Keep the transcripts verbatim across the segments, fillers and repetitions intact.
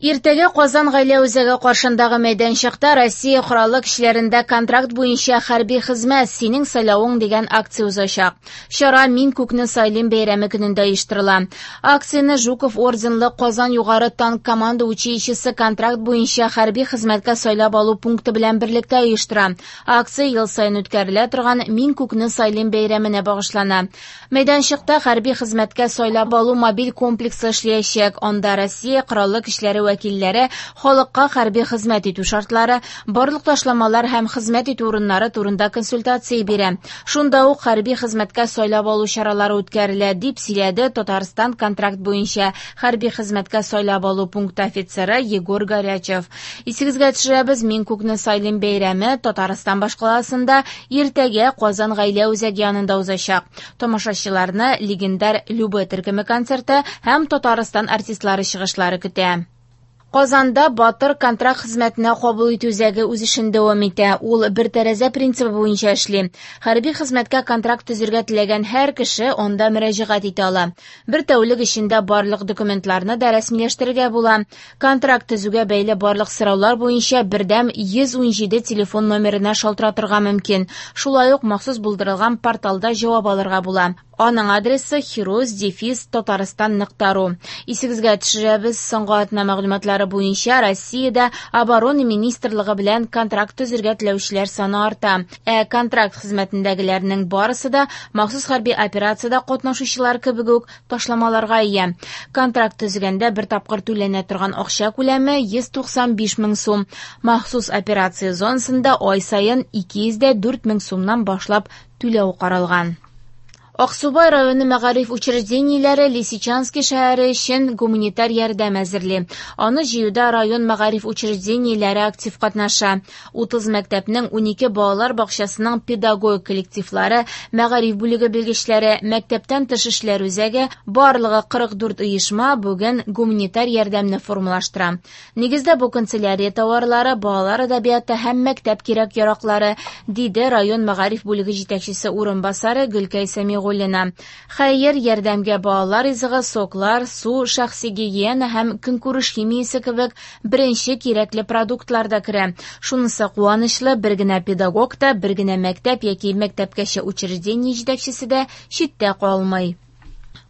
Иртәгә Казан гаилә үзәге каршындагы мәйданчыкта Россия Кораллы көчләрендә контракт буенча хәрби хезмәт синең сайлавың дигән акция узачак. Чара «Мин күкне сайлыйм» бәйрәме көнендә оештырыла. Акцияне Жуков орденлы Казан югары танк команда училищесы контракт буенча хәрби хезмәткә сайлап алу пункты белән берлектә оештыра. Акция ел саен үткәрелә торган «Мин күкне сайлыйм» бәйрәменә багышлана. Мәйданчыкта хәрби хезмәткә сайлап алу мобиль комплексы эшләячәк. Анда Россия Кораллы көчләре вәкилләре халыкка хәрби хезмәт итү шартлары, барлык ташламалар һәм хезмәт итү урыннары турында консультация бирә. Шунда ук хәрби хезмәткә сайлап алу чаралары үткәрелә, дип сөйләде Татарстан контракт буенча хәрби хезмәткә сайлап алу пункты офицеры Егор Горячев. Исегезгә төшерәбез, «Мин күкне сайлыйм» бәйрәме Татарстан башкаласында иртәгә Казан гаилә үзәге янында узачак. Тамашачыларны легендар Любэ төркеме концерты һәм Татарстан артистлары чыгышлары көтә. Казанда Батыр контракт хезмәтенә кабул итү үзәге үз эшен дәвам итә. Ул бер тәрәзә принцибы буенча эшли. Хәрби хезмәткә контракт төзергә теләгән һәр кеше анда мөрәҗәгать итә ала. Бер тәүлек эчендә барлык документларны да рәсмиләштерергә була. Контракт төзүгә бәйле барлык сораулар буенча бердәм йөз унҗиде телефон номерына шалтыратырга мөмкин. Шулай ук махсус булдырылган порталда җавап алырга була. Аның адресы хирос дефис татарстан нокта ру. Исегезгә төшерәбез, соңгы атна мәгълүматлары буенча Россиядә Оборона министрлыгы белән контракт төзергә теләүчеләр саны арта. Ә контракт хезмәтендәгеләрнең барысы да махсус хәрби операциядә катнашучылар кебек үк ташламаларга ия. Контракт төзегәндә бер тапкыр түләнә торган акча күләме йөз туксан биш мең сум. Махсус операция зонасында ай саен ике йөз дә дүрт мең сумнан башлап түләү каралган. Аксубай районы мәгариф учреждениеләре Лисичанский шәһәре өчен гуманитар ярдәм әзерли. Аны җыюда район мәгариф учреждениеләре актив катнаша. Утыз мәктәпнең унике балалар бакчасының педагогик коллективлары, мәгариф бүлеге белгечләре, мәктәптән тыш эшләр үзәге, барлыгы кырык дүрт оешма бүген гуманитар ярдәмне формалаштыра. Нигездә бу канцелярия товарлары, балалар әдәбияты һәм мәктәп кирәк-яраклары, диде район мәгариф бүлеге җитәкчесе урынбасары Гөлкәй Сәмигуллина. Хәер, ярдәмгә балалар ризыгы, соклар, су, шәхси гигиена һәм көнкүреш химиясе кебек беренче кирәкле продуктлар да керә. Шунысы куанычлы, бер генә педагог та, бер генә мәктәп яки мәктәпкәчә учреждение җитәкчесе дә читтә калмый.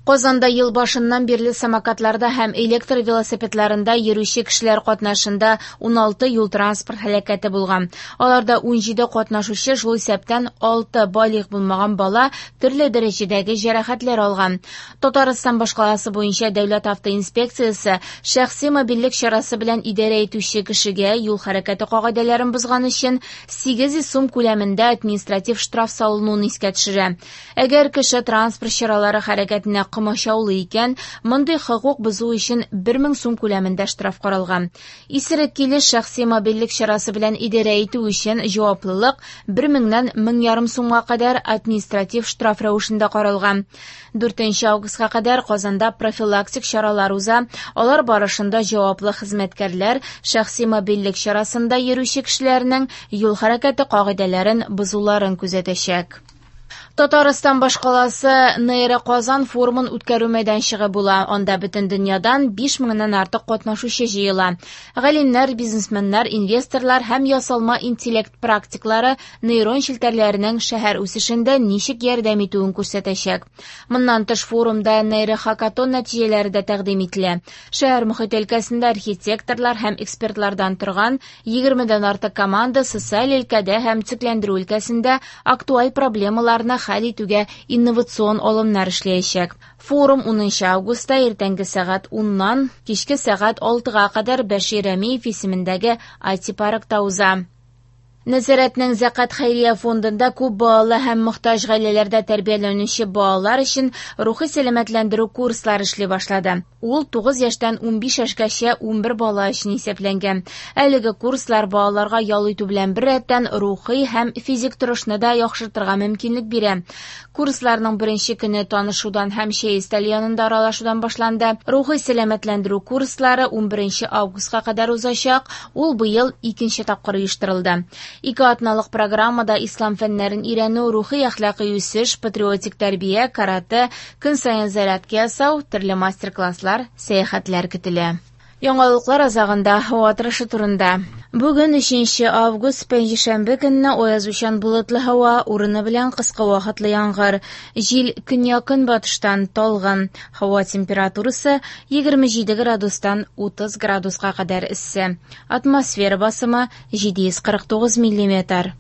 Казанда ел башыннан бирле самокатларда һәм электр велосипедларында йөрүче кешеләр катнашында уналты юл-транспорт һәлакәте булган. Аларда унҗиде катнашучы, шул исәптән алты балигъ булмаган бала төрле дәрәҗәдәге җәрәхәтләр алган. Татарстан башкаласы буенча дәүләт автоинспекциясе шәхси мобильлек чарасы белән идарә итүче кешегә юл хәрәкәте кагыйдәләрен бозган өчен сигез йөз сум күләмендә административ штраф салынуын искә төшерә. Әгәр кеше транспорт чаралары хәрәкәтенә комачаулы икән, мондый хокук бозу өчен бер мең сум күләмендә штраф каралган. Исерек килеш шәхси мобильлек чарасы белән идарә итү өчен җаваплылык бер меңнән мең ярым сумга кадәр административ штраф рәвешендә каралган. Дүртенче августка кадәр Казанда профилактик чаралар уза. Алар барышында җаваплы хезмәткәрләр шәхси мобильлек чарасында йөрүче кешеләрнең юл хәрәкәте кагыйдәләрен бозуларын күзәтәчәк. Татарстан башкаласы Нейро Казан форумын үткәрү мәйданчыгы була. Анда бөтен дөньядан биш меңнән артык катнашучы җыела. Галимнәр, бизнесменнар, инвесторлар һәм ясалма интеллект практиклары нейрон челтәрләренең шәһәр үсешендә ничек ярдәм итүен күрсәтәчәк. Моннан тыш форумда нейрохакатон нәтиҗәләре дә тәкъдим ителә. Шәһәр мохит өлкәсендә архитекторлар һәм экспертлардан торган егермедән артык команда социаль өлкәдә һәм төзекләндерү өлкәсендә актуаль проблемаларны хәл итүгә инновацион алымнар эшләячәк. Форум унынчы августта иртәнге сәгать уннан кичке сәгать алтыга кадәр Бәшир Рәмиев исемендәге ай ти-паркта уза. Нәзарәтнең Зәкат хәйрия фондында күп балалы һәм мохтаҗ гаиләләрдә тәрбияләнүче балалар өчен рухи сәламәтләндерү курслары эшли башлады. Ул тугыз яшьтән унбиш яшькәчә унбер бала өчен исәпләнгән. Әлеге курслар балаларга ял итү белән беррәттән рухи һәм физик торышны да яхшыртырга мөмкинлек бирә. Курсларның беренче көне танышудан һәм чәй өстәле янында аралашудан башланды. Рухи сәламәтләндерү курслары унберенче августка кадәр узачак. Ул быел икенче тапкыр оештырылды. Ике атналык программада ислам фәннәрен өйрәнү, рухи әхлакый үсеш, патриотик тәрбия, карате, көн саен зарядка ясау, төрле мастер-класслар, сәяхәтләр көтелә. Яңалыклар азагында һава торышы турында. Бүген өченче август, пәнҗешәмбе көнне аязучан болытлы һава, урыны белән кыска вакытлы яңгыр. Җил көньяк-көнбатыштан талгын. Һава температурасы егерме җиде градустан утыз градуска кадәр эссе. Атмосфера басымы җиде йөз кырык тугыз миллиметр.